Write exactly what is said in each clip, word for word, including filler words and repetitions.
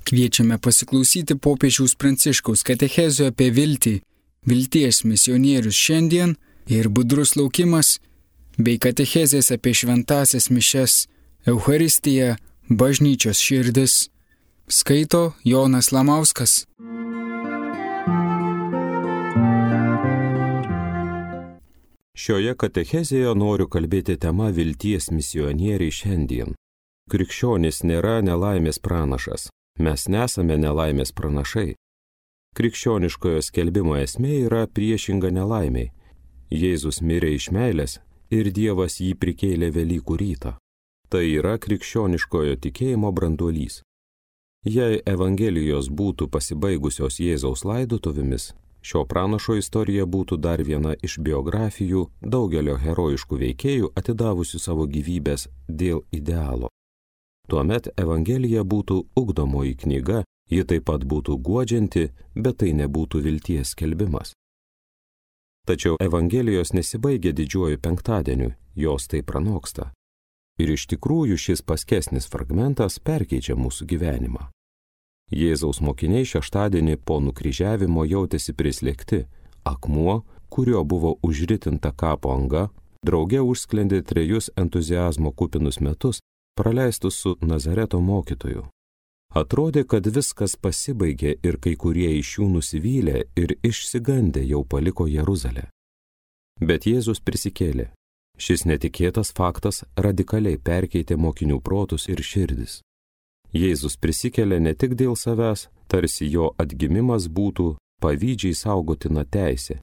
Kviečiame pasiklausyti popiežiaus Pranciškaus katechezio apie viltį, vilties misionierius šiandien ir budrus laukimas, bei katechezės apie šventąsias mišias, Eucharistiją, bažnyčios širdis. Skaito Jonas Lamauskas. Šioje katechezėje noriu kalbėti tema vilties misionieriai šiandien. Krikščionis nėra nelaimės pranašas. Mes nesame nelaimės pranašai. Krikščioniškojo skelbimo esmė yra priešinga nelaimiai. Jėzus mirė iš meilės ir Dievas jį prikėlė Velykų rytą. Tai yra krikščioniškojo tikėjimo branduolys. Jei Evangelijos būtų pasibaigusios Jėzaus laidotuvėmis, šio pranašo istorija būtų dar viena iš biografijų daugelio herojiškų veikėjų atidavusių savo gyvybės dėl idealo. Tuomet Evangelija būtų ugdomoji knyga, ji taip pat būtų guodžianti, bet tai nebūtų vilties skelbimas. Tačiau Evangelijos nesibaigia didžiuoju penktadieniu, jos tai pranoksta. Ir iš tikrųjų šis paskesnis fragmentas perkeičia mūsų gyvenimą. Jėzaus mokiniai šeštadienį po nukryžiavimo jautėsi prislėgti, akmuo, kurio buvo užritinta kapo anga, drauge užsklendė trejus entuziazmo kupinus metus, praleistus su Nazareto mokytoju. Atrodė, kad viskas pasibaigė ir kai kurie iš jų nusivylė ir išsigandę jau paliko Jeruzalę. Bet Jėzus prisikėlė. Šis netikėtas faktas radikaliai perkeitė mokinių protus ir širdis. Jėzus prisikėlė ne tik dėl savęs, tarsi jo atgimimas būtų pavydžiai saugotina teisė.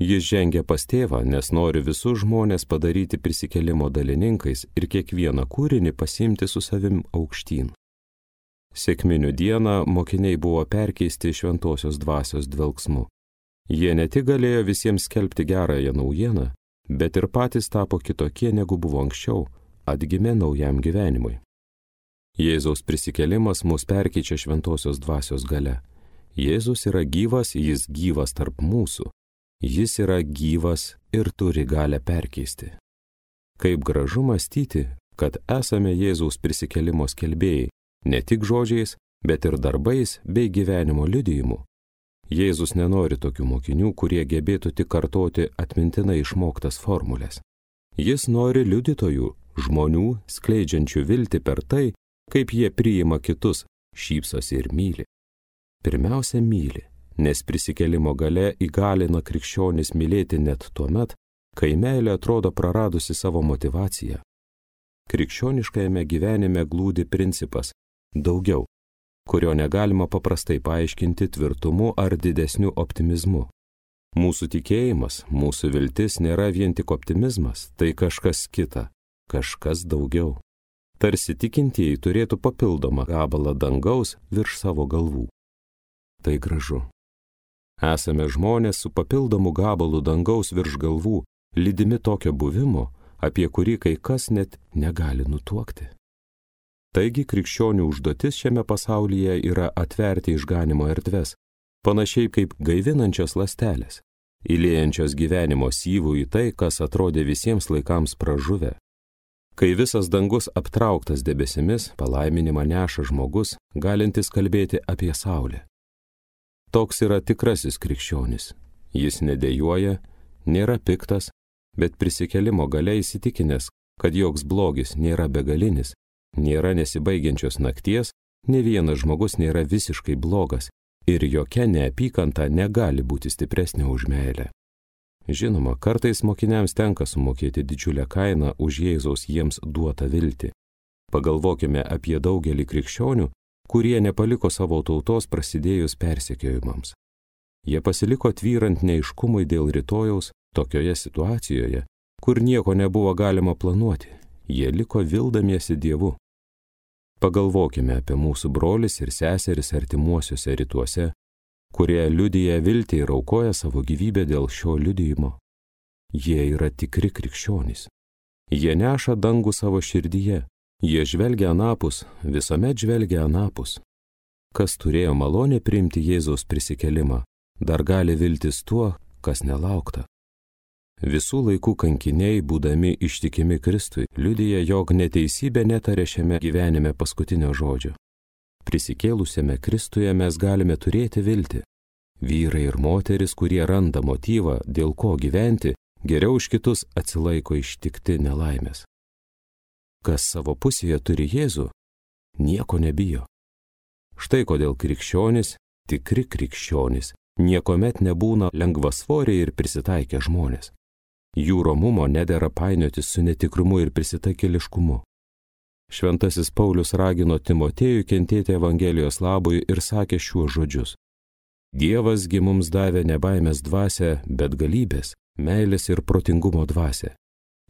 Jis žengia pas tėvą, nes nori visus žmonės padaryti prisikėlimo dalininkais ir kiekvieną kūrinį pasiimti su savim aukštyn. Sekminių dieną mokiniai buvo perkeisti šventosios dvasios dvelksmu. Jie ne tik galėjo visiems skelbti gerąją naujieną, bet ir patys tapo kitokie negu buvo anksčiau, atgimė naujam gyvenimui. Jėzaus prisikėlimas mus perkeičia šventosios dvasios galia. Jėzus yra gyvas, jis gyvas tarp mūsų. Jis yra gyvas ir turi galę perkeisti. Kaip gražu mąstyti, kad esame Jėzaus prisikėlimo skelbėjai, ne tik žodžiais, bet ir darbais bei gyvenimo liudijimu. Jėzus nenori tokių mokinių, kurie gebėtų tik kartoti atmintinai išmoktas formulės. Jis nori liudytojų, žmonių, skleidžiančių viltį per tai, kaip jie priima kitus, šypsosi ir myli. Pirmiausia, myli. Nes prisikėlimo galia įgalina krikščionis mylėti net tuomet, kai meilė atrodo praradusi savo motivaciją. Krikščioniškajame gyvenime glūdi principas daugiau, kurio negalima paprastai paaiškinti tvirtumu ar didesniu optimizmu. Mūsų tikėjimas, mūsų viltis nėra vien tik optimizmas, tai kažkas kita, kažkas daugiau. Tarsi tikintieji turėtų papildomą gabalą dangaus virš savo galvų. Tai gražu. Esame žmonės su papildomu gabalu dangaus virš galvų, lydimi tokio buvimo, apie kurį kai kas net negali nutuokti. Taigi krikščionių užduotis šiame pasaulyje yra atverti išganimo erdves, panašiai kaip gaivinančios ląstelės, įliejančios gyvenimo syvų į tai, kas atrodė visiems laikams pražuvę. Kai visas dangus aptrauktas debesimis, palaiminimą neša žmogus, galintis kalbėti apie saulę. Toks yra tikrasis krikščionis. Jis nedejuoja, nėra piktas, bet prisikėlimo galia įsitikinęs, kad joks blogis nėra begalinis, nėra nesibaigiančios nakties, ne vienas žmogus nėra visiškai blogas ir jokia neapykanta negali būti stipresnė už meilę. Žinoma, kartais mokiniams tenka sumokėti didžiulę kainą už Jėzaus jiems duotą viltį. Pagalvokime apie daugelį krikščionių, kurie nepaliko savo tautos prasidėjus persekiojimams. Jie pasiliko tvyrant neaiškumui dėl rytojaus tokioje situacijoje, kur nieko nebuvo galima planuoti. Jie liko vildamiesi Dievu. Pagalvokime apie mūsų brolis ir seseris artimuosiuose rytuose, kurie liudija viltį ir aukoja savo gyvybę dėl šio liudijimo. Jie yra tikri krikščionys. Jie neša dangų savo širdyje. Jie žvelgia anapus, visuomet žvelgia anapus. Kas turėjo malonę priimti Jėzaus prisikėlimą, dar gali viltis tuo, kas nelaukta. Visų laikų kankiniai, būdami ištikimi Kristui, liudija, jog neteisybė netarė šiame gyvenime paskutinio žodžio. Prisikėlusiame Kristuje mes galime turėti viltį. Vyrai ir moteris, kurie randa motyvą, dėl ko gyventi, geriau už kitus atsilaiko ištikti nelaimės. Kas savo pusėje turi Jėzų, nieko nebijo. Štai kodėl krikščionys, tikri krikščionys, niekuomet nebūna lengvasvoriai ir prisitaikę žmonės. Jų romumo nedera painiotis su netikrumu ir prisitaikėliškumu. Šventasis Paulius ragino Timotiejų kentėti Evangelijos labui ir sakė šiuos žodžius. Dievas gi mums davė ne baimės dvasią, bet galybės, meilės ir protingumo dvasią.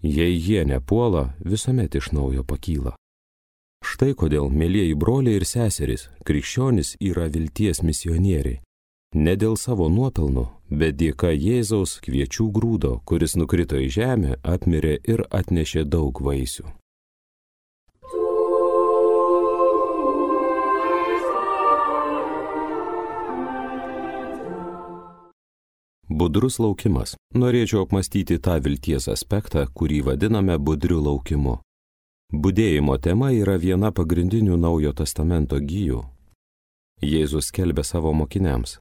Jei jie nepuola, visuomet iš naujo pakyla. Štai kodėl, mielieji broliai ir seserys, krikščionys yra vilties misionieriai. Ne dėl savo nuopelnų, bet dėka Jėzaus kviečių grūdo, kuris nukrito į žemę, apmirė ir atnešė daug vaisių. Budrus laukimas. Norėčiau apmastyti tą vilties aspektą, kurį vadiname budriu laukimu. Budėjimo tema yra viena pagrindinių Naujojo testamento gijų. Jėzus skelbė savo mokiniams.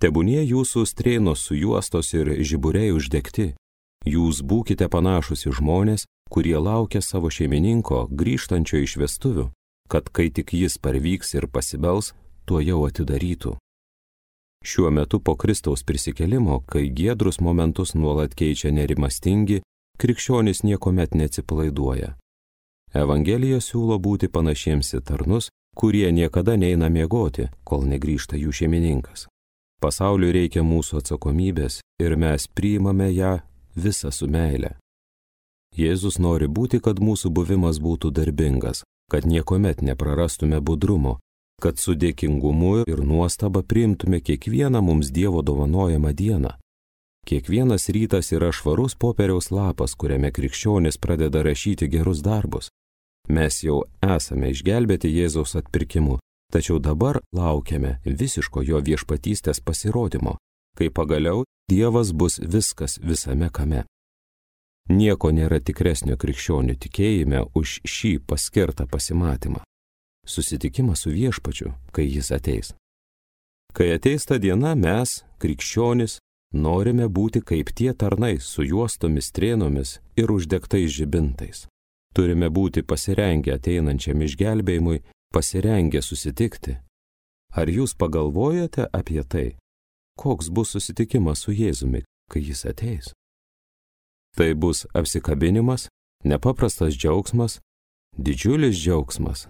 Tebūnie jūsų strėnos sujuostos ir žiburiai uždegti. Jūs būkite panašus į žmonės, kurie laukia savo šeimininko grįžtančio iš vestuvių, kad kai tik jis parvyks ir pasibels, tuo jau atidarytų. Šiuo metu po Kristaus prisikėlimo, kai giedrus momentus nuolat keičia nerimastingi, krikščionys niekuomet neatsipalaiduoja. Evangelija siūlo būti panašiems į tarnus, kurie niekada neina miegoti, kol negrįžta jų šeimininkas. Pasauliui reikia mūsų atsakomybės ir mes priimame ją visą su meile. Jėzus nori būti, kad mūsų buvimas būtų darbingas, kad niekuomet neprarastume budrumo, kad su dėkingumu ir nuostaba priimtume kiekvieną mums Dievo dovanojamą dieną. Kiekvienas rytas yra švarus popieriaus lapas, kuriame krikščionis pradeda rašyti gerus darbus. Mes jau esame išgelbėti Jėzaus atpirkimu, tačiau dabar laukiame visiško jo viešpatystės pasirodymo, kai pagaliau Dievas bus viskas visame kame. Nieko nėra tikresnio krikščionių tikėjime už šį paskirtą pasimatymą. Susitikimas su viešpačiu, kai jis ateis. Kai ateis ta diena, mes, krikščionys, norime būti kaip tie tarnai su juostomis strėnomis ir uždegtais žibintais. Turime būti pasirengę ateinančiam išgelbėjimui, pasirengę susitikti. Ar jūs pagalvojate apie tai, koks bus susitikimas su Jėzumi, kai jis ateis? Tai bus apsikabinimas, nepaprastas džiaugsmas, didžiulis džiaugsmas.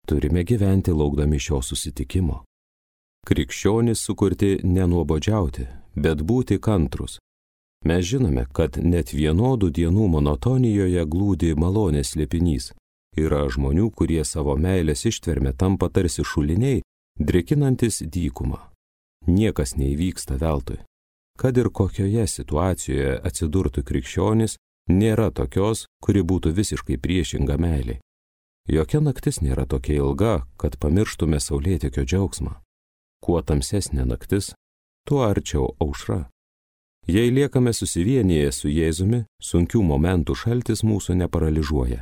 Turime gyventi laukdami šio susitikimo. Krikščionys sukurti nenuobodžiauti, bet būti kantrus. Mes žinome, kad net vienodų dienų monotonijoje glūdi malonės slėpinys. Yra žmonių, kurie savo meilės ištverme tampa tarsi šuliniai, drėkinantis dykumą. Niekas neįvyksta veltui. Kad ir kokioje situacijoje atsidurtų krikščionis, nėra tokios, kuri būtų visiškai priešinga meiliai. Jokia naktis nėra tokia ilga, kad pamirštume saulėtekio džiaugsmą. Kuo tamsesnė naktis, tuo arčiau aušra. Jei liekame susivienyje su Jėzumi, sunkių momentų šaltis mūsų neparalyžuoja.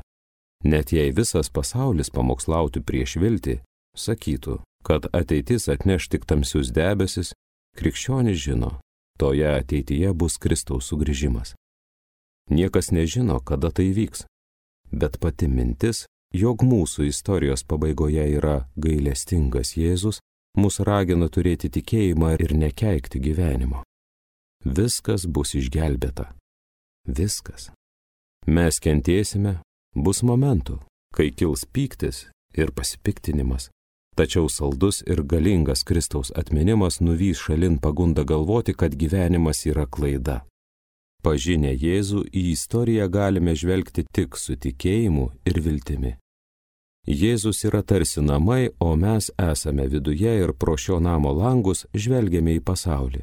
Net jei visas pasaulis pamokslautų prieš viltį, sakytų, kad ateitis atneš tik tamsius debesis, krikščionis žino, toje ateityje bus Kristaus sugrįžimas. Niekas nežino, kada tai vyks, bet pati mintis, jog mūsų istorijos pabaigoje yra gailestingas Jėzus, mus ragina turėti tikėjimą ir nekeikti gyvenimo. Viskas bus išgelbėta. Viskas. Mes kentėsime, bus momentų, kai kils pyktis ir pasipiktinimas, tačiau saldus ir galingas Kristaus atminimas nuvys šalin pagundą galvoti, kad gyvenimas yra klaida. Pažinę Jėzų į istoriją galime žvelgti tik su tikėjimu ir viltimi. Jėzus yra tarsi namai, o mes esame viduje ir pro šio namo langus žvelgiame į pasaulį.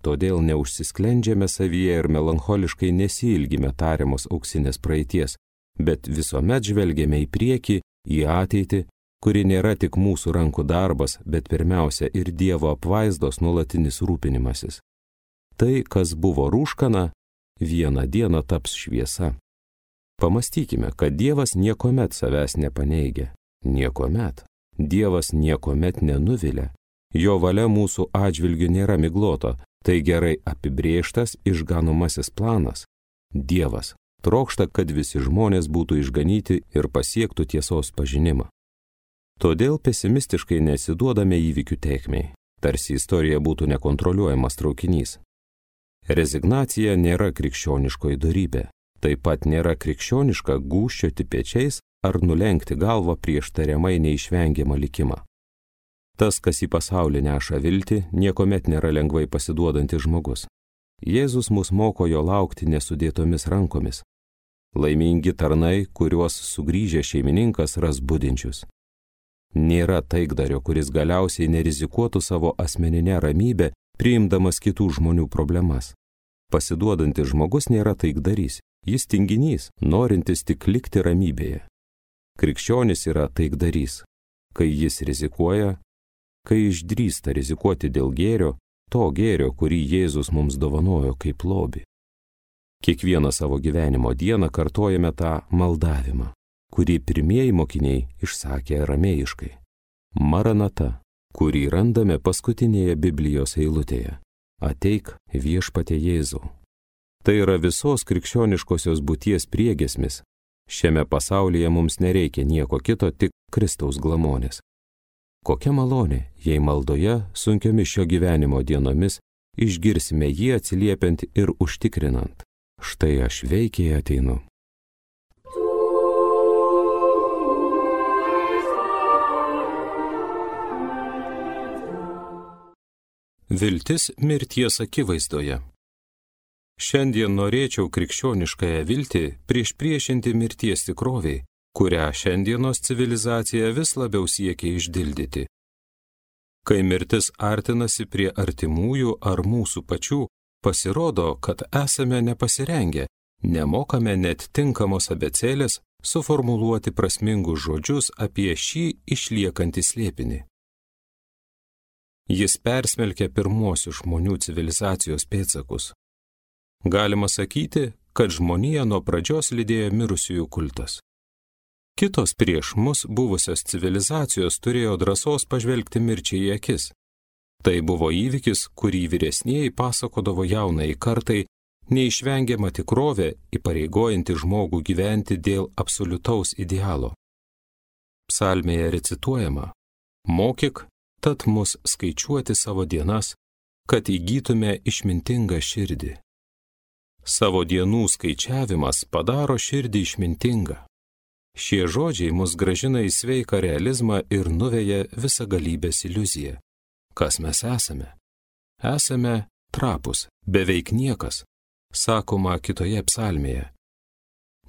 Todėl neužsisklendžiame savyje ir melancholiškai nesiilgime tariamos auksinės praeities, bet visuomet žvelgiame į priekį, į ateitį, kuri nėra tik mūsų rankų darbas, bet pirmiausia ir Dievo apvaizdos nuolatinis rūpinimasis. Tai, kas buvo rūškana, vieną dieną taps šviesa. Pamastykime, kad Dievas niekuomet savęs nepaneigia. Niekuomet. Dievas niekuomet nenuvilia, jo valia mūsų atžvilgiu nėra miglota, tai gerai apibrėžtas išganomasis planas. Dievas trokšta, kad visi žmonės būtų išganyti ir pasiektų tiesos pažinimą. Todėl pesimistiškai nesiduodame įvykių tėkmei, tarsi istorija būtų nekontroliuojamas traukinys. Rezignacija nėra krikščioniškoji dorybė, taip pat nėra krikščioniška gūžčioti pečiais ar nulenkti galvą prieš tariamai neišvengiamą likimą. Tas, kas į pasaulį neša viltį, niekuomet nėra lengvai pasiduodantis žmogus. Jėzus mus moko jo laukti nesudėtomis rankomis. Laimingi tarnai, kuriuos sugrįžę šeimininkas ras budinčius. Nėra taikdario, kuris galiausiai nerizikuotų savo asmeninę ramybę, priimdamas kitų žmonių problemas. Pasiduodantis žmogus nėra taikdarys, jis tinginys, norintis tik likti ramybėje. Krikščionis yra taikdarys, kai jis rizikuoja, kai išdrįsta rizikuoti dėl gėrio, to gėrio, kurį Jėzus mums dovanojo kaip lobį. Kiekvieną savo gyvenimo dieną kartojame tą maldavimą, kurį pirmieji mokiniai išsakė aramėjiškai. Maranata, kurį randame paskutinėje Biblijos eilutėje. Ateik viešpatie Jėzau. Tai yra visos krikščioniškosios būties priegiesmis. Šiame pasaulyje mums nereikia nieko kito, tik Kristaus glamonės. Kokia malonė, jei maldoje sunkiomis šio gyvenimo dienomis išgirsime jį atsiliepiant ir užtikrinant. Štai aš veikiai ateinu. Viltis mirties akivaizdoje. Šiandien norėčiau krikščioniškąją viltį priešpriešinti mirties tikroviai, kurią šiandienos civilizacija vis labiau siekia išdildyti. Kai mirtis artinasi prie artimųjų ar mūsų pačių, pasirodo, kad esame nepasirengę, nemokame net tinkamos abėcėlės suformuluoti prasmingus žodžius apie šį išliekantį slėpinį. Jis persmelkia pirmuosius žmonių civilizacijos pėdsakus. Galima sakyti, kad žmoniją nuo pradžios lydėjo mirusiųjų kultas. Kitos prieš mus buvusios civilizacijos turėjo drąsos pažvelgti mirčiai į akis. Tai buvo įvykis, kurį vyresnieji pasakodavo jaunai kartai, neišvengiama tikrovė, įpareigojanti žmogų gyventi dėl absoliutaus idealo. Psalmėje recituojama: mokyk, tad mus skaičiuoti savo dienas, kad įgytume išmintingą širdį. Savo dienų skaičiavimas padaro širdį išmintingą. Šie žodžiai mus gražina į sveiką realizmą ir nuveja visą galybės iliuziją. Kas mes esame? Esame trapus, beveik niekas, sakoma kitoje psalmėje.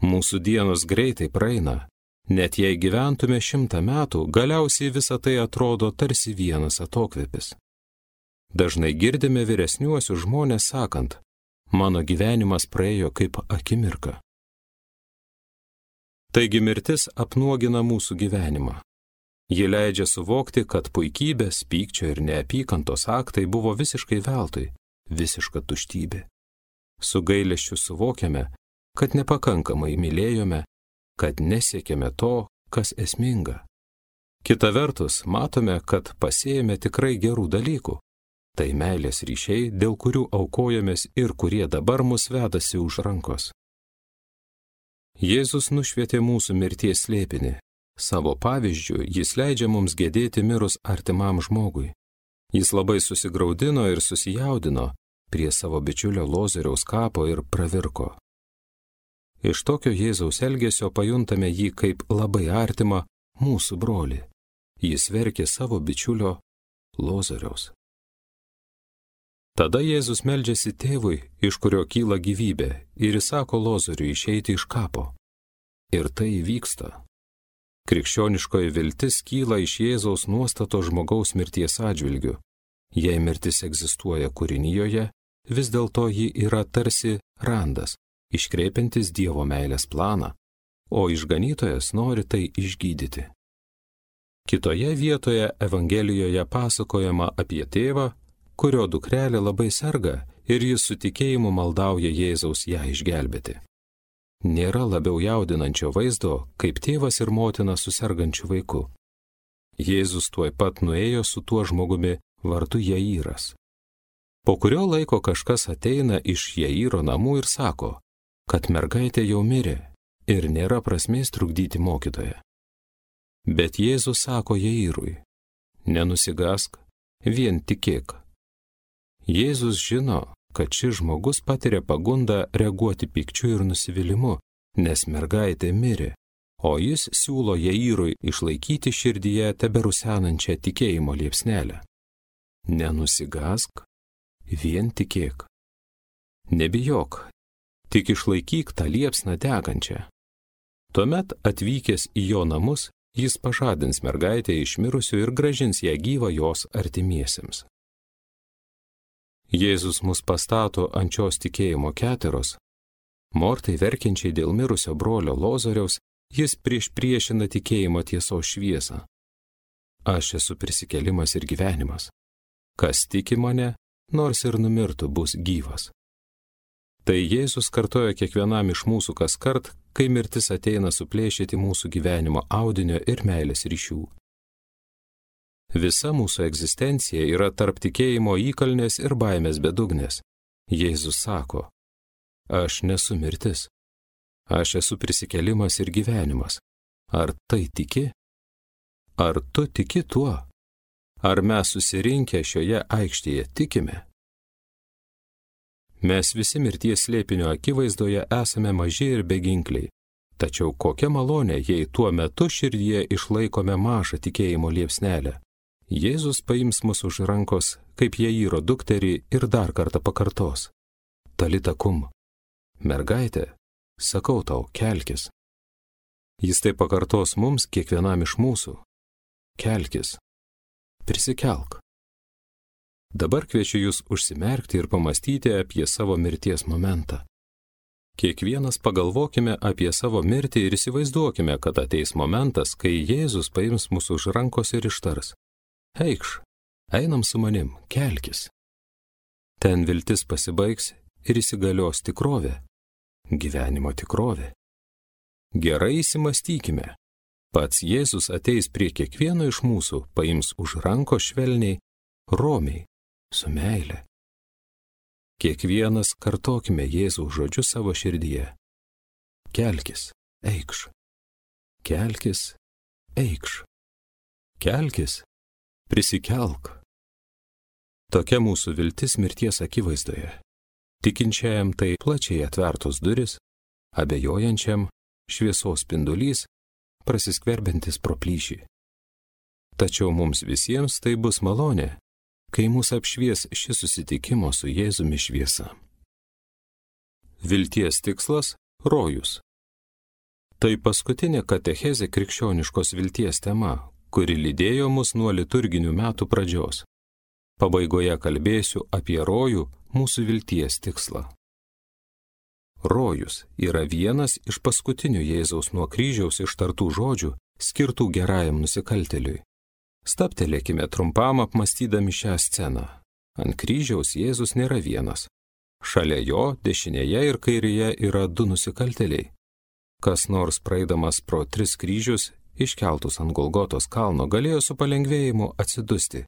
Mūsų dienos greitai praeina. Net jei gyventume šimtą metų, galiausiai visa tai atrodo tarsi vienas atokvėpis. Dažnai girdime vyresniuosius žmonės sakant: mano gyvenimas praėjo kaip akimirka. Taigi mirtis apnuogina mūsų gyvenimą. Ji leidžia suvokti, kad puikybės, pykčio ir neapykantos aktai buvo visiškai veltui, visiška tuštybė. Su gailesčiu suvokiame, kad nepakankamai mylėjome, kad nesiekėme to, kas esminga. Kita vertus, matome, kad pasėjome tikrai gerų dalykų. Tai meilės ryšiai, dėl kurių aukojamės ir kurie dabar mus vedasi už rankos. Jėzus nušvietė mūsų mirties slėpinį. Savo pavyzdžiu, jis leidžia mums gedėti mirus artimam žmogui. Jis labai susigraudino ir susijaudino prie savo bičiulio Lozoriaus kapo ir pravirko. Iš tokio Jėzaus elgesio pajuntame jį kaip labai artimą mūsų brolį. Jis verkė savo bičiulio Lozoriaus. Tada Jėzus meldžiasi tėvui, iš kurio kyla gyvybė, ir įsako Lozoriui išeiti iš kapo. Ir tai įvyksta. Krikščioniškoji viltis kyla iš Jėzaus nuostato žmogaus mirties atžvilgiu. Jei mirtis egzistuoja kūrinijoje, vis dėlto ji yra tarsi randas, iškreipiantis Dievo meilės planą, o išganytojas nori tai išgydyti. Kitoje vietoje Evangelijoje pasakojama apie tėvą, kurio dukrelė labai serga ir jis su tikėjimu maldauja Jėzaus ją išgelbėti. Nėra labiau jaudinančio vaizdo, kaip tėvas ir motina su sergančiu vaiku. Jėzus tuoj pat nuėjo su tuo žmogumi vardu Jairas. Po kurio laiko kažkas ateina iš Jairo namų ir sako, kad mergaitė jau mirė ir nėra prasmės trukdyti mokytoją. Bet Jėzus sako Jairui, nenusigask, vien tikėk. Jėzus žino, kad šis žmogus patiria pagundą reaguoti pykčiu ir nusivylimu, nes mergaitė mirė, o jis siūlo Jairui išlaikyti širdyje teberusenančią tikėjimo liepsnelę. Nenusigask, vien tikėk. Nebijok, tik išlaikyk tą liepsną degančią. Tuomet atvykęs į jo namus, jis pažadins mergaitę iš mirusių ir grąžins ją gyvą jos artimiesiems. Jėzus mus pastato ant šios tikėjimo keteros. Mortai verkiančiai dėl mirusio brolio Lozoriaus, jis prieš priešina tikėjimo tiesos šviesą. Aš esu prisikėlimas ir gyvenimas. Kas tiki mane, nors ir numirtų, bus gyvas. Tai Jėzus kartoja kiekvienam iš mūsų kaskart, kai mirtis ateina suplėšyti mūsų gyvenimo audinio ir meilės ryšių. Visa mūsų egzistencija yra tarp tikėjimo įkalnės ir baimės bedugnės. Jėzus sako, aš nesu mirtis. Aš esu prisikėlimas ir gyvenimas. Ar tai tiki? Ar tu tiki tuo? Ar mes susirinkę šioje aikštėje tikime? Mes visi mirties slėpinio akivaizdoje esame maži ir beginkliai. Tačiau kokia malonė, jei tuo metu širdyje išlaikome mažą tikėjimo liepsnelę. Jėzus paims mus už rankos, kaip Jairo dukterį ir dar kartą pakartos. Talita kum. Mergaitė, sakau tau, kelkis. Jis tai pakartos mums kiekvienam iš mūsų. Kelkis. Prisikelk. Dabar kviečiu jūs užsimerkti ir pamastyti apie savo mirties momentą. Kiekvienas pagalvokime apie savo mirtį ir įsivaizduokime, kad ateis momentas, kai Jėzus paims mūsų už rankos ir ištars. Eikš, einam su manim, kelkis. Ten viltis pasibaigs ir įsigalios tikrovė, gyvenimo tikrovė. Gerai įsimastykime. Pats Jėzus ateis prie kiekvieno iš mūsų, paims už rankos švelniai, romiai, su meile. Kiekvienas kartokime Jėzaus žodžius savo širdyje. Kelkis, eikš. Kelkis, eikš. Kelkis, prisikelk. Tokia mūsų viltis mirties akivaizdoje. Tikinčiajam tai plačiai atvertos duris, abejojančiam šviesos spindulys, prasiskverbiantis pro plyšį. Tačiau mums visiems tai bus malonė, kai mūsų apšvies šis susitikimo su Jėzumi šviesa. Vilties tikslas – rojus. Tai paskutinė katechezė krikščioniškos vilties tema, kuri lydėjo mus nuo liturginių metų pradžios. Pabaigoje kalbėsiu apie rojų, mūsų vilties tikslą. Rojus yra vienas iš paskutinių Jėzaus nuo kryžiaus ištartų žodžių, skirtų gerajam nusikaltėliui. Stabtelėkime trumpam apmastydami šią sceną. Ant kryžiaus Jėzus nėra vienas. Šalia jo, dešinėje ir kairėje yra du nusikaltėliai. Kas nors praeidamas pro tris kryžius, iškeltus ant Golgotos kalno, galėjo su palengvėjimu atsidusti.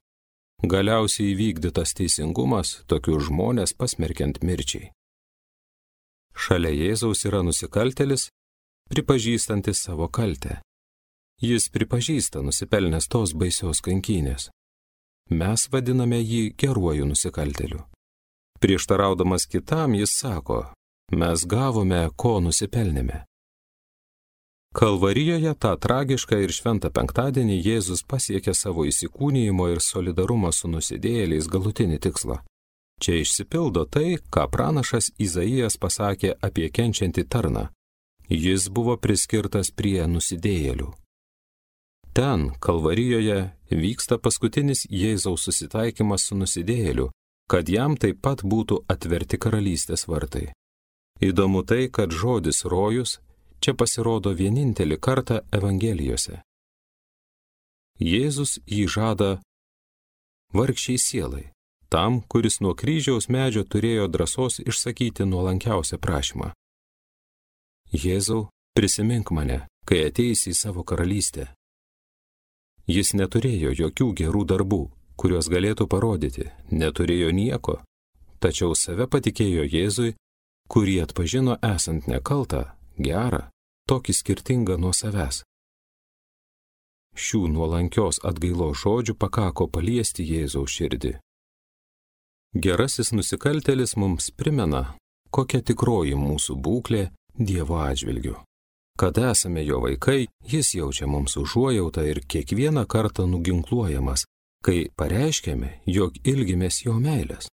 Galiausiai įvykdytas teisingumas, tokius žmonės pasmerkiant mirčiai. Šalia Jėzaus yra nusikaltėlis, pripažįstantis savo kaltę. Jis pripažįsta nusipelnęs tos baisios kankynės. Mes vadiname jį geruoju nusikaltėliu. Prieštaraudamas kitam, jis sako, mes gavome, ko nusipelnėme. Kalvarijoje tą tragišką ir šventą penktadienį Jėzus pasiekė savo įsikūnijimo ir solidarumo su nusidėjėliais galutinį tikslą. Čia išsipildo tai, ką pranašas Izaijas pasakė apie kenčiantį tarną. Jis buvo priskirtas prie nusidėjėlių. Ten, Kalvarijoje, vyksta paskutinis Jėzaus susitaikymas su nusidėjėliu, kad jam taip pat būtų atverti karalystės vartai. Įdomu tai, kad žodis rojus čia pasirodo vienintelį kartą Evangelijose. Jėzus jį žada vargšiai sielai, tam, kuris nuo kryžiaus medžio turėjo drąsos išsakyti nuolankiausią prašymą. Jėzau, prisimink mane, kai ateisi į savo karalystę. Jis neturėjo jokių gerų darbų, kuriuos galėtų parodyti, neturėjo nieko, tačiau save patikėjo Jėzui, kurį atpažino esant nekaltą, gerą, tokį skirtingą nuo savęs. Šių nuolankios atgailos žodžių pakako paliesti Jėzaus širdį. Gerasis nusikaltėlis mums primena, kokia tikroji mūsų būklė Dievo atžvilgiu. Kad esame jo vaikai, jis jaučia mums užuojautą ir kiekvieną kartą nuginkluojamas, kai pareiškėme, jog ilgimės jo meilės.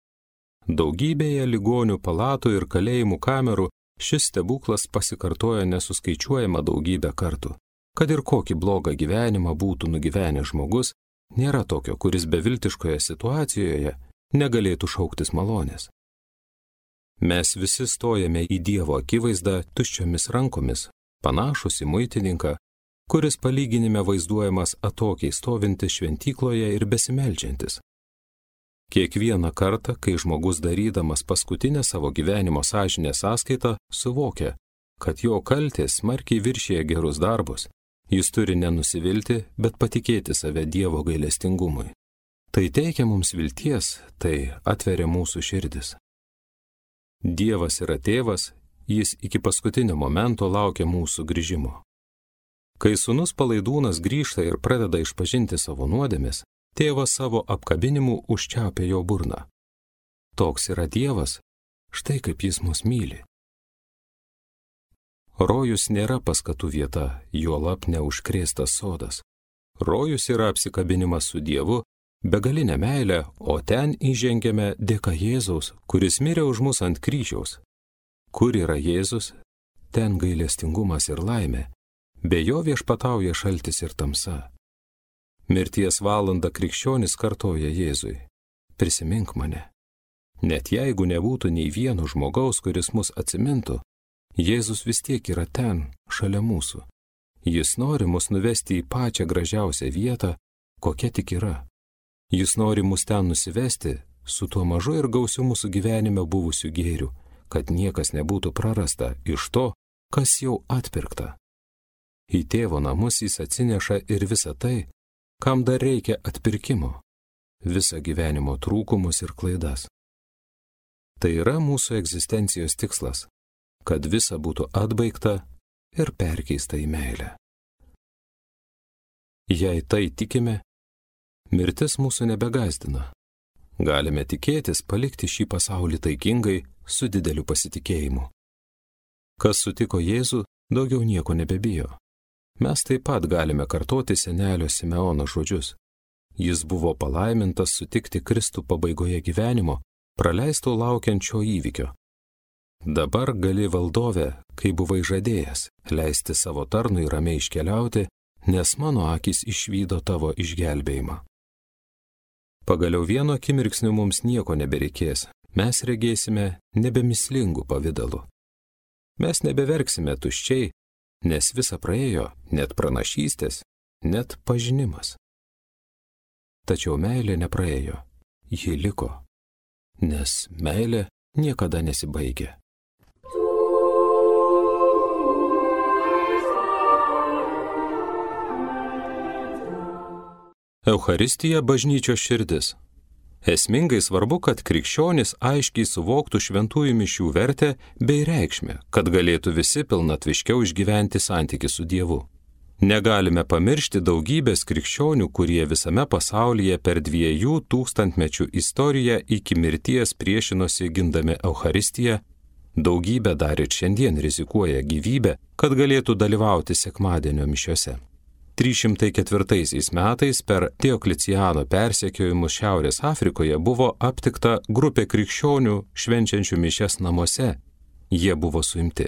Daugybėje ligonių palatų ir kalėjimų kamerų šis stebuklas pasikartoja nesuskaičiuojama daugybę kartų. Kad ir kokį blogą gyvenimą būtų nugyvenęs žmogus, nėra tokio, kuris beviltiškoje situacijoje negalėtų šauktis malonės. Mes visi stojame į Dievo akivaizdą tuščiomis rankomis, panašus į muitininką, kuris palyginime vaizduojamas atokiai stovintis šventykloje ir besimeldžiantis. Kiekvieną kartą, kai žmogus darydamas paskutinę savo gyvenimo sąžinės sąskaitą, suvokia, kad jo kaltės smarkiai viršija gerus darbus, jis turi nenusivilti, bet patikėti save Dievo gailestingumui. Tai teikia mums vilties, tai atveria mūsų širdis. Dievas yra tėvas, jis iki paskutinio momento laukia mūsų grįžimo. Kai sūnus palaidūnas grįžta ir pradeda išpažinti savo nuodėmes, tėvas savo apkabinimu užčiaupia jo burną. Toks yra Dievas, štai kaip jis mus myli. Rojus nėra paskatų vieta, juolab neužkrėstas sodas. Rojus yra apsikabinimas su Dievu, begalinė meilė, o ten įžengiame dėka Jėzaus, kuris mirė už mus ant kryžiaus. Kur yra Jėzus, ten gailestingumas ir laimė, be jo viešpatauja šaltis ir tamsa. Mirties valandą krikščionis kartoja Jėzui: prisimink mane. Net jeigu nebūtų nei vieno žmogaus, kuris mus atsimintų, Jėzus vis tiek yra ten, šalia mūsų. Jis nori mus nuvesti į pačią gražiausią vietą, kokia tik yra. Jis nori mus ten nusivesti su tuo mažu ir gausiu mūsų gyvenime buvusiu gėriu, kad niekas nebūtų prarasta iš to, kas jau atpirkta. Į tėvo namus jis atsineša ir visą tai, kam dar reikia atpirkimo, visą gyvenimo trūkumus ir klaidas. Tai yra mūsų egzistencijos tikslas, kad visa būtų atbaigta ir perkeista į meilę. Jei tai tikime, mirtis mūsų nebegąsdina. Galime tikėtis palikti šį pasaulį taikingai su dideliu pasitikėjimu. Kas sutiko Jėzų, daugiau nieko nebebijo. Mes taip pat galime kartoti senelio Simeono žodžius. Jis buvo palaimintas sutikti Kristų pabaigoje gyvenimo, praleisto laukiančio įvykio. Dabar gali valdove, kai buvai žadėjęs, leisti savo tarnui ramiai iškeliauti, nes mano akys išvydo tavo išgelbėjimą. Pagaliau vieno akimirksniu mums nieko nebereikės, mes regėsime nebemislingų pavidalų. Mes nebeverksime tuščiai, nes visa praėjo, net pranašystės, net pažinimas. Tačiau meilė nepraėjo, ji liko, nes meilė niekada nesibaigia. Eucharistija bažnyčios širdis. Esmingai svarbu, kad krikščionys aiškiai suvoktų šventųjų mišių vertę bei reikšmę, kad galėtų visi pilnatviškiau išgyventi santykį su Dievu. Negalime pamiršti daugybės krikščionių, kurie visame pasaulyje per dviejų tūkstantmečių istoriją iki mirties priešinosi gindami Eucharistiją, daugybė dar ir šiandien rizikuoja gyvybę, kad galėtų dalyvauti sekmadienio mišiose. trys šimtai ketvirtaisiais metais per Diokleciano persekiojimus Šiaurės Afrikoje buvo aptikta grupė krikščionių švenčiančių mišias namuose. Jie buvo suimti.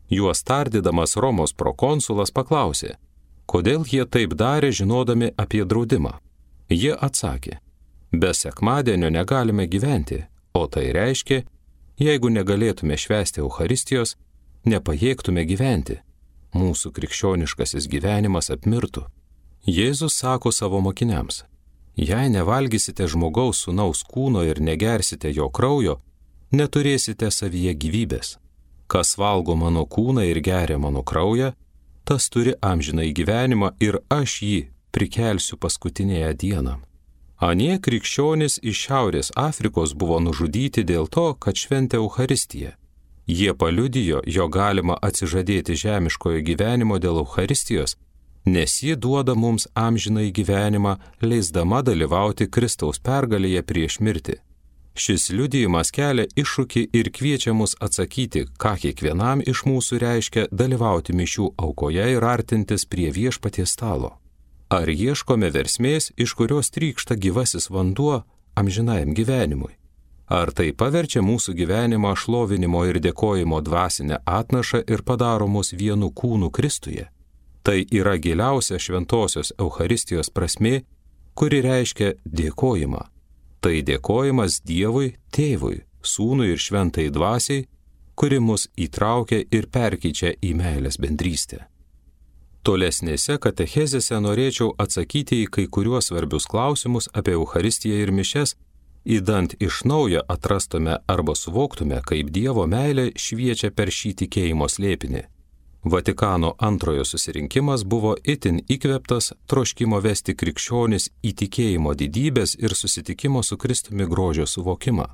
Juos tardydamas Romos prokonsulas paklausė, kodėl jie taip darė žinodami apie draudimą. Jie atsakė, be sekmadienio negalime gyventi, o tai reiškia, jeigu negalėtume švęsti Eucharistijos, nepajėgtume gyventi. Mūsų krikščioniškasis gyvenimas apmirtų. Jėzus sako savo mokiniams, jei nevalgysite žmogaus sūnaus kūno ir negersite jo kraujo, neturėsite savyje gyvybės. Kas valgo mano kūną ir geria mano kraują, tas turi amžinąjį gyvenimą ir aš jį prikelsiu paskutinėje dieną. Anie krikščionys iš Šiaurės Afrikos buvo nužudyti dėl to, kad šventė Eucharistiją. Jie paliudijo, jog galima atsižadėti žemiškojo gyvenimo dėl Eucharistijos, nes ji duoda mums amžinąjį gyvenimą, leisdama dalyvauti Kristaus pergalėje prieš mirtį. Šis liudijimas kelia iššūkį ir kviečia mus atsakyti, ką kiekvienam iš mūsų reiškia dalyvauti mišių aukoje ir artintis prie viešpaties stalo. Ar ieškome versmės, iš kurios trykšta gyvasis vanduo amžinajam gyvenimui? Ar tai paverčia mūsų gyvenimą šlovinimo ir dėkojimo dvasinę atnašą ir padaro mus vienu kūnu Kristuje? Tai yra giliausia šventosios Eucharistijos prasmė, kuri reiškia dėkojimą. Tai dėkojimas Dievui, Tėvui, Sūnui ir Šventai Dvasiai, kuri mus įtraukia ir perkeičia į meilės bendrystę. Tolesnėse katechezėse norėčiau atsakyti į kai kuriuos svarbius klausimus apie Eucharistiją ir mišias, įdant iš naujo atrastume arba suvoktume, kaip Dievo meilė šviečia per šį tikėjimo slėpinį. Vatikano antrojo susirinkimas buvo itin įkvėptas troškimo vesti krikščionis į tikėjimo didybės ir susitikimo su Kristumi grožio suvokimą.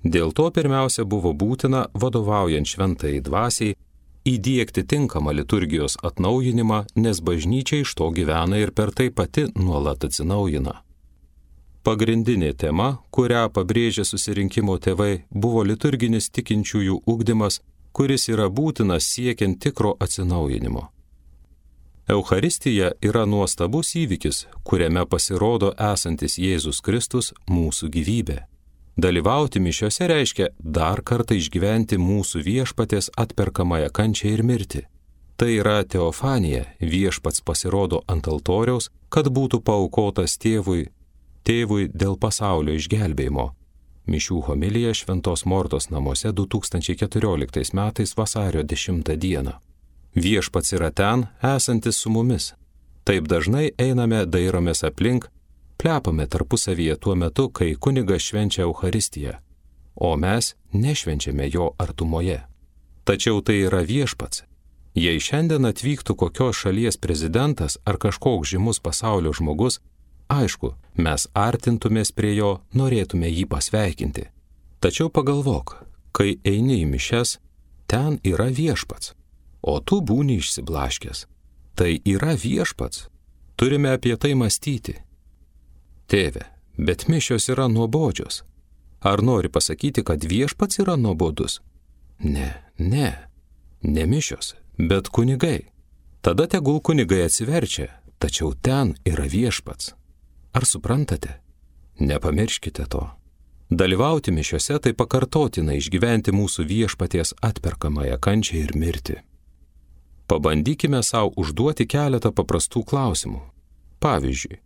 Dėl to pirmiausia buvo būtina, vadovaujant Šventajai Dvasiai, įdiegti tinkamą liturgijos atnaujinimą, nes bažnyčia iš to gyvena ir per tai pati nuolat atsinaujina. Pagrindinė tema, kurią pabrėžė susirinkimo tėvai, buvo liturginis tikinčiųjų ugdymas, kuris yra būtinas siekiant tikro atsinaujinimo. Eucharistija yra nuostabus įvykis, kuriame pasirodo esantis Jėzus Kristus mūsų gyvybė. Dalyvauti mišiose reiškia dar kartą išgyventi mūsų viešpaties atperkamąją kančią ir mirtį. Tai yra teofanija, viešpats pasirodo ant altoriaus, kad būtų paaukotas tėvui, tėvui dėl pasaulio išgelbėjimo. Mišių homilija Šventos Mortos namuose du tūkstančiai keturioliktais metais vasario dešimtą dieną. Viešpats yra ten, esantis su mumis. Taip dažnai einame, dairomės aplink, plepame tarpusavyje tuo metu, kai kunigas švenčia Eucharistiją, o mes nešvenčiame jo artumoje. Tačiau tai yra viešpats. Jei šiandien atvyktų kokios šalies prezidentas ar kažkoks žymus pasaulio žmogus, aišku, mes artintumės prie jo, norėtume jį pasveikinti. Tačiau pagalvok, kai eini į mišias, ten yra viešpats, o tu būni išsiblaškęs. Tai yra viešpats. Turime apie tai mąstyti. Tėve, bet mišios yra nuobodžios. Ar nori pasakyti, kad viešpats yra nuobodus? Ne, ne, ne mišios, bet kunigai. Tada tegul kunigai atsiverčia, tačiau ten yra viešpats. Ar suprantate? Nepamirškite to. Dalyvauti mišiose tai pakartotina išgyventi mūsų viešpaties atperkamąją kančią ir mirtį. Pabandykime savo užduoti keletą paprastų klausimų. Pavyzdžiui,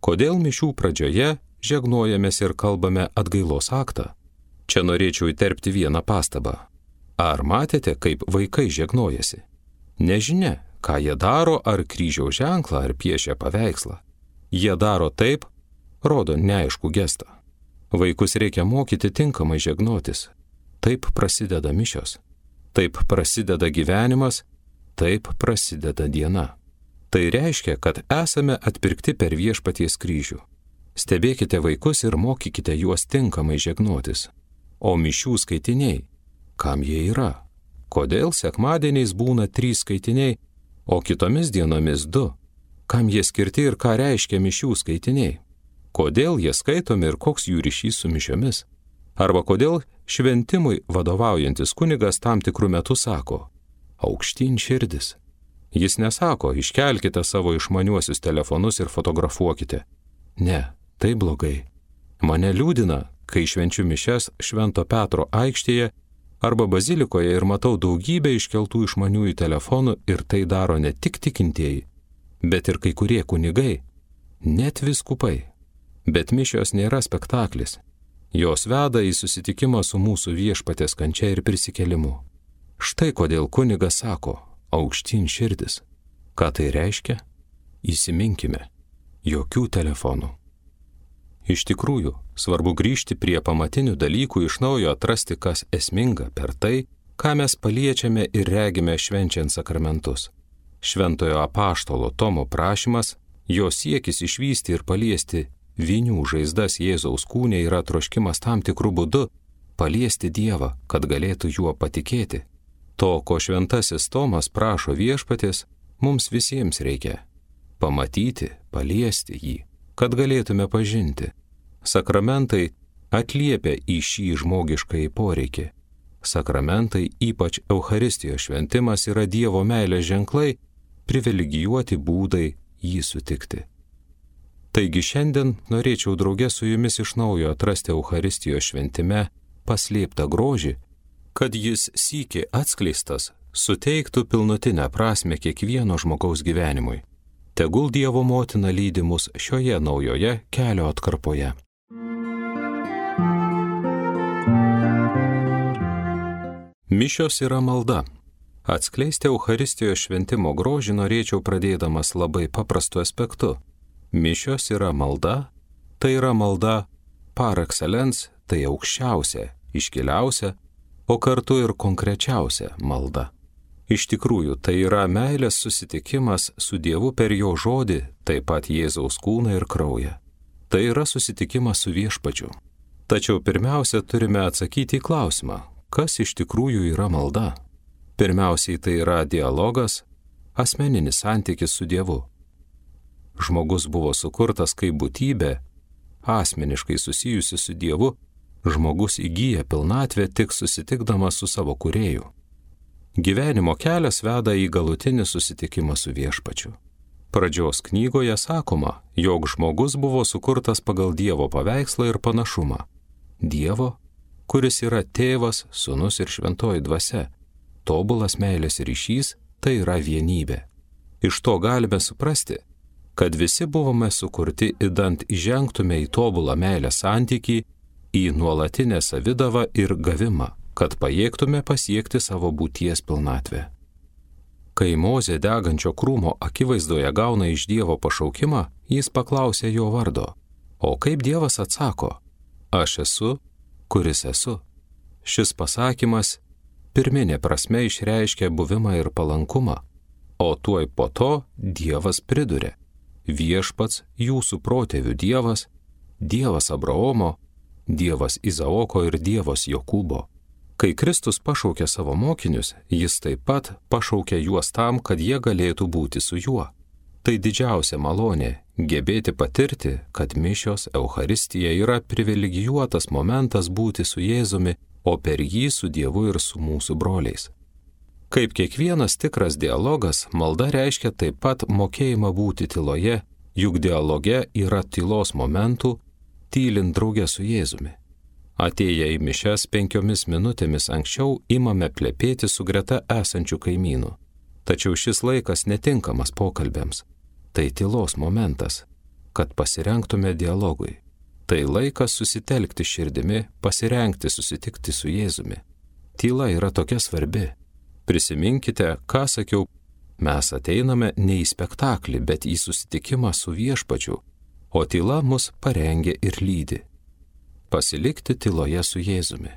kodėl mišių pradžioje žegnojamės ir kalbame atgailos aktą? Čia norėčiau įterpti vieną pastabą. Ar matėte, kaip vaikai žegnojasi? Nežinia, ką jie daro, ar kryžiaus ženklą, ar piešia paveikslą. Jie daro taip, rodo neaiškų gestą. Vaikus reikia mokyti tinkamai žegnotis. Taip prasideda mišios. Taip prasideda gyvenimas, taip prasideda diena. Tai reiškia, kad esame atpirkti per viešpaties kryžių. Stebėkite vaikus ir mokykite juos tinkamai žegnotis. O mišių skaitiniai, kam jie yra? Kodėl sekmadieniais būna trys skaitiniai, o kitomis dienomis du? Kam jie skirti ir ką reiškia mišių skaitiniai? Kodėl jie skaitomi ir koks jų ryšys su mišiomis? Arba kodėl šventimui vadovaujantis kunigas tam tikrų metų sako, aukštyn širdis. Jis nesako, iškelkite savo išmaniuosius telefonus ir fotografuokite. Ne, tai blogai. Mane liūdina, kai švenčiu mišias Švento Petro aikštėje arba bazilikoje ir matau daugybę iškeltų išmaniųjų telefonų ir tai daro ne tik tikintieji, bet ir kai kurie kunigai, net vyskupai. Bet mišios nėra spektaklis. Jos veda į susitikimą su mūsų viešpaties kančia ir prisikėlimu. Štai kodėl kunigas sako, aukštyn širdis. Ką tai reiškia? Įsiminkime, jokių telefonų. Iš tikrųjų, svarbu grįžti prie pamatinių dalykų, iš naujo atrasti, kas esminga per tai, ką mes paliečiame ir regime švenčiant sakramentus. Šventojo apaštalo Tomo prašymas, Jo siekis išvysti ir paliesti vinių žaizdas Jėzaus kūne yra troškimas tam tikrų būdų paliesti Dievą, kad galėtų juo patikėti. To, ko šventasis Tomas prašo viešpaties, mums visiems reikia – pamatyti, paliesti jį, kad galėtume pažinti. Sakramentai atliepia į šį žmogiškąjį poreikį. Sakramentai, ypač Eucharistijos šventimas, yra Dievo meilės ženklai, privilegijuoti būdai jį sutikti. Taigi šiandien norėčiau drauge su jumis iš naujo atrasti Eucharistijos šventime paslėptą grožį, kad jis sykį atskleistas suteiktų pilnutinę prasmę kiekvieno žmogaus gyvenimui. Tegul Dievo motina lydi mus šioje naujoje kelio atkarpoje. Mišios yra malda. Atskleisti Eucharistijos šventimo grožį norėčiau pradėdamas labai paprastu aspektu. Mišios yra malda, tai yra malda par excellence, tai aukščiausia, iškiliausia, o kartu ir konkrečiausia malda. Iš tikrųjų, tai yra meilės susitikimas su Dievu per jo žodį, taip pat Jėzaus kūną ir kraują. Tai yra susitikimas su viešpačiu. Tačiau pirmiausia, turime atsakyti į klausimą, kas iš tikrųjų yra malda. Pirmiausiai tai yra dialogas, asmeninis santykis su Dievu. Žmogus buvo sukurtas kaip būtybė, asmeniškai susijusi su Dievu, žmogus įgyja pilnatvę tik susitikdamas su savo kūrėju. Gyvenimo kelias veda į galutinį susitikimą su viešpačiu. Pradžios knygoje sakoma, jog žmogus buvo sukurtas pagal Dievo paveikslą ir panašumą. Dievo, kuris yra tėvas, sūnus ir šventoji dvasia. Tobulas meilės ryšys tai yra vienybė. Iš to galime suprasti, kad visi buvome sukurti idant įžengtume į tobulą meilės santykį, į nuolatinę savidavą ir gavimą, kad pajėgtume pasiekti savo būties pilnatvę. Kai Mozė degančio krūmo akivaizdoje gauna iš Dievo pašaukimą, jis paklausė jo vardo. O kaip Dievas atsako? Aš esu, kuris esu. Šis pasakymas pirminė prasme išreiškia buvimą ir palankumą, o tuoj po to Dievas priduria. Viešpats jūsų protėvių Dievas, Dievas Abraomo, Dievas Izaoko ir Dievas Jokūbo. Kai Kristus pašaukė savo mokinius, jis taip pat pašaukė juos tam, kad jie galėtų būti su juo. Tai didžiausia malonė – gebėti patirti, kad mišios Eucharistija yra privilegijuotas momentas būti su Jėzumi, o per jį su Dievu ir su mūsų broliais. Kaip kiekvienas tikras dialogas, malda reiškia taip pat mokėjimą būti tyloje, juk dialoge yra tylos momentų, tylint drauge su Jėzumi. Atėję į mišias penkiomis minutėmis anksčiau imame plepėti su greta esančių kaimynų. Tačiau šis laikas netinkamas pokalbėms. Tai tylos momentas, kad pasirengtume dialogui. Tai laikas susitelkti širdimi, pasirengti susitikti su Jėzumi. Tyla yra tokia svarbi. Prisiminkite, ką sakiau, mes ateiname ne į spektaklį, bet į susitikimą su viešpačiu, o tyla mus parengia ir lydi. Pasilikti tyloje su Jėzumi.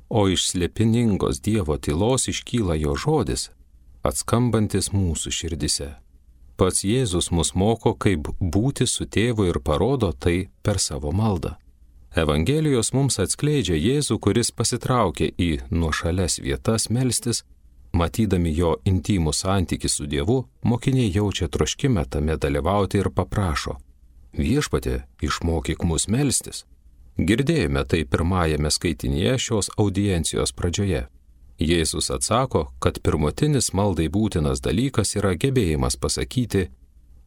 O iš slėpiningos Dievo tylos iškyla jo žodis, atskambantis mūsų širdise. Pats Jėzus mus moko, kaip būti su tėvu ir parodo tai per savo maldą. Evangelijos mums atskleidžia Jėzų, kuris pasitraukė į nuošalias vietas melstis. Matydami jo intimų santykį su Dievu, mokiniai jaučia troškimą tame dalyvauti ir paprašo: Viešpatie, išmokyk mus melstis. Girdėjome tai pirmajame skaitinyje šios audiencijos pradžioje. Jėzus atsako, kad pirmutinis maldai būtinas dalykas yra gebėjimas pasakyti: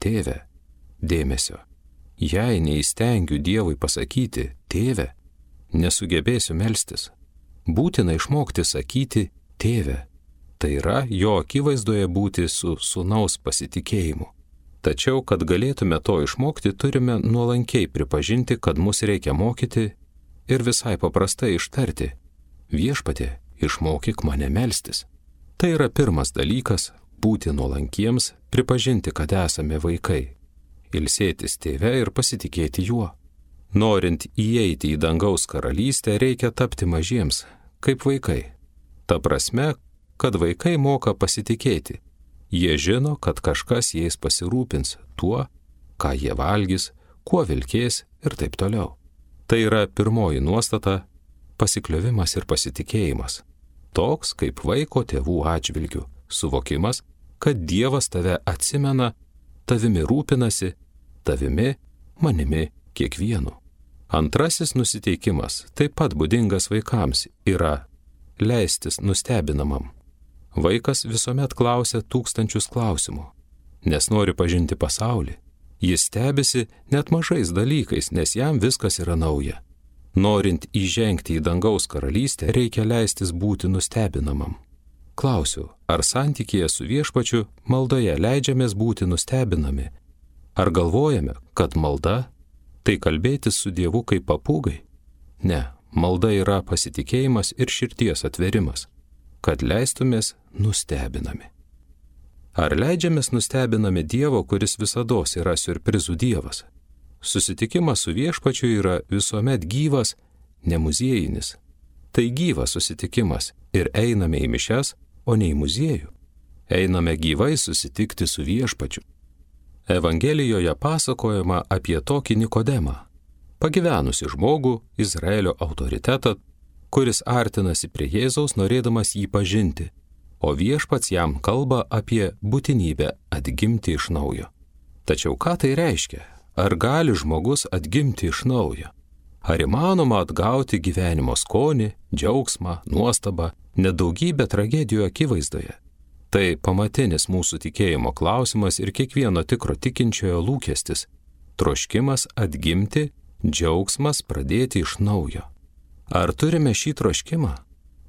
Tėve, dėmesio. Jei neįstengiu Dievui pasakyti: Tėve, nesugebėsiu melstis. Būtina išmokti sakyti: Tėve. Tai yra jo akivaizdoje būti su sūnaus pasitikėjimu. Tačiau, kad galėtume to išmokti, turime nuolankiai pripažinti, kad mus reikia mokyti ir visai paprastai ištarti: Viešpatie, išmokyk mane melstis. Tai yra pirmas dalykas – būti nuolankiems, pripažinti, kad esame vaikai. Ilsėtis tėve ir pasitikėti juo. Norint įeiti į dangaus karalystę, reikia tapti mažiems, kaip vaikai. Ta prasme, kad vaikai moka pasitikėti. Jie žino, kad kažkas jais pasirūpins tuo, ką jie valgys, kuo vilkės ir taip toliau. Tai yra pirmoji nuostata - pasikliovimas ir pasitikėjimas. Toks kaip vaiko tėvų atžvilgių suvokimas, kad Dievas tave atsimena, tavimi rūpinasi, tavimi, manimi, kiekvienu. Antrasis nusiteikimas, taip pat būdingas vaikams, yra leistis nustebinamam. Vaikas visuomet klausia tūkstančius klausimų, nes nori pažinti pasaulį. Jis stebisi net mažais dalykais, nes jam viskas yra nauja. Norint įžengti į dangaus karalystę, reikia leistis būti nustebinamam. Klausiu, ar santykėje su Viešpačiu maldoje leidžiamės būti nustebinami? Ar galvojame, kad malda tai kalbėtis su Dievu kaip papūgai? Ne, malda yra pasitikėjimas ir širdies atverimas, kad leistumės nustebinami. Ar leidžiamės nustebinami Dievo, kuris visados yra siurprizų Dievas? Susitikimas su Viešpačiu yra visuomet gyvas, ne muziejinis. Tai gyvas susitikimas ir einame į mišias, o ne į muziejų. Einame gyvai susitikti su Viešpačiu. Evangelijoje pasakojama apie tokį Nikodemą, pagyvenusi žmogų, Izraelio autoritetą, kuris artinasi prie Jėzaus norėdamas jį pažinti, o Viešpats jam kalba apie būtinybę atgimti iš naujo. Tačiau ką tai reiškia? Ar gali žmogus atgimti iš naujo? Ar įmanoma atgauti gyvenimo skonį, džiaugsmą, nuostabą, nedaugybę tragedijų akivaizdoje? Tai pamatinis mūsų tikėjimo klausimas ir kiekvieno tikro tikinčiojo lūkestis - troškimas atgimti, džiaugsmas pradėti iš naujo. Ar turime šį troškimą?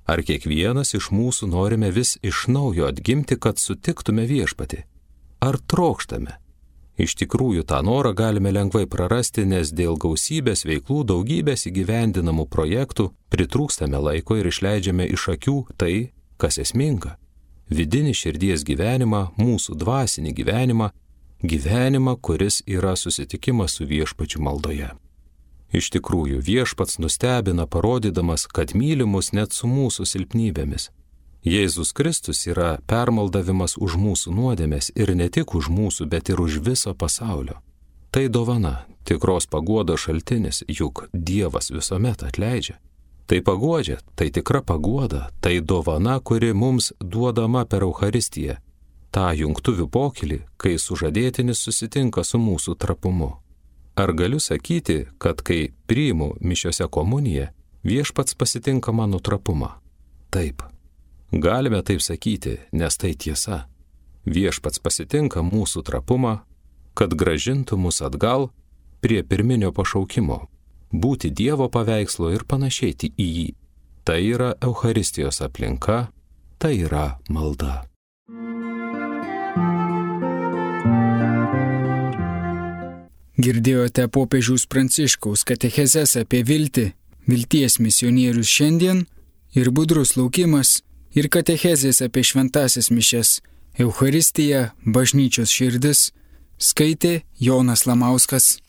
Ar kiekvienas iš mūsų norime vis iš naujo atgimti, kad sutiktume Viešpatį? Ar trokštame? Iš tikrųjų, tą norą galime lengvai prarasti, nes dėl gausybės veiklų, daugybės įgyvendinamų projektų pritrūkstame laiko ir išleidžiame iš akių tai, kas esminga. Vidinį širdies gyvenimą, mūsų dvasinį gyvenimą, gyvenimą, kuris yra susitikimas su Viešpačiu maldoje. Iš tikrųjų, Viešpats nustebina parodydamas, kad myli mus net su mūsų silpnybėmis. Jėzus Kristus yra permaldavimas už mūsų nuodėmes ir ne tik už mūsų, bet ir už viso pasaulio. Tai dovana, tikros paguodos šaltinis, juk Dievas visuomet atleidžia. Tai paguodžia, tai tikra paguoda, tai dovana, kuri mums duodama per Eucharistiją, tą jungtuvių pokylį, kai sužadėtinis susitinka su mūsų trapumu. Ar galiu sakyti, kad kai priimu mišiose komuniją, Viešpats pasitinka mano trapumą? Taip. Galime taip sakyti, nes tai tiesa. Viešpats pasitinka mūsų trapumą, kad gražintų mus atgal prie pirminio pašaukimo - būti Dievo paveikslo ir panašėti į jį. Tai yra Eucharistijos aplinka, tai yra malda. Girdėjote popiežiaus Pranciškaus katechezes apie viltį, vilties misionierius šiandien ir budrus laukimas ir katechezės apie šventąsias mišias, Eucharistiją, bažnyčios širdis, skaitė Jonas Lamauskas.